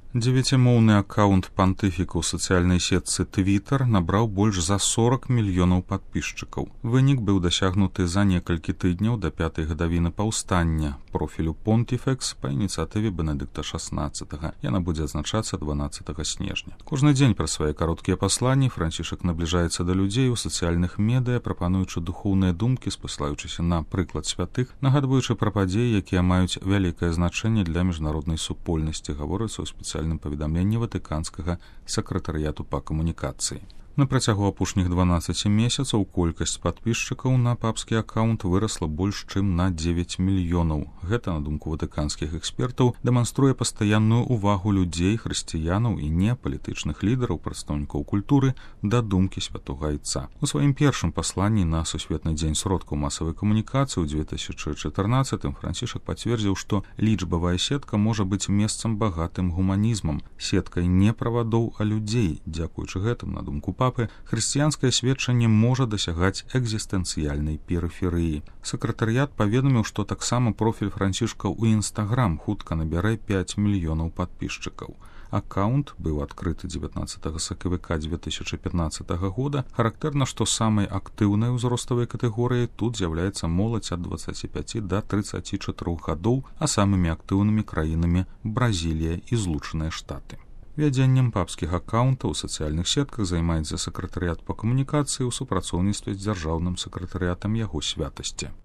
Дзевяцімоўны аккаунт пантыфіка ў сацыяльнай сетцы Twitter набраў больш за 40 мільёнаў падпісчыкаў. Вынік быў дасягнуты за некалькі тыдняў да 5-й гадавіны паўстання профілю Pontifex па ініцыятыве Бенедыкта XVI. Яна будзе адзначацца 12 снежня. Кожны дзень праз свае кароткія пасланні Францішак набліжаецца да людзей у сацыяльных медыа, прапануючы духоўныя думкі, спасылаючыся на прыклад святых, нагадваючы пра падзеі, якія маюць вялікае значэнне для міжнароднай супольнасці, гаворыцца ў спецыяльным паведамленні ватыканскага сакратарыяту па камунікацыі. На працягу апошніх 12 месяцаў колькасць падпісчыкаў на папскі аккаунт вырасла больш чым на 9 мільёнаў. Гэта, на думку ватыканскіх экспертаў, дэманструе пастаянную ўвагу людзей, хрысціянаў і непалітычных лідараў, прадстаўнікоў культуры да думкі святога Айца. У сваім першым пасланні на Сусветны дзень сродкаў масавай камунікацыі ў 2014 Францішак пацвердзіў, што лічбавая сетка можа быць месцам багатым гуманізмам, сеткай не правадоў, а людзей. Дзякуючы гэтым, на думку папы, хрысціянскае сведчанне можа дасягаць экзістэнцыяльнай перыферыі. Сакратарыят паведаміў, што таксама профіль Францішка ў Instagram хутка набярэ 5 мільёнаў падпісчыкаў. Аккаунт быў адкрыты 19 сакавіка 2015 года. Характэрна, што самай актыўнай узроставай катэгорыяй тут з'яўляецца моладзь ад 25 да 34 гадоў, а самымі актыўнымі краінамі Бразілія і Злучаныя Штаты. Вядзеннем папскіх аккаунтаў у сацыяльных сетках займаецца сакратарыят па камунікацыі ў супрацоўніцтве з дзяржаўным сакратарыятам яго святасці.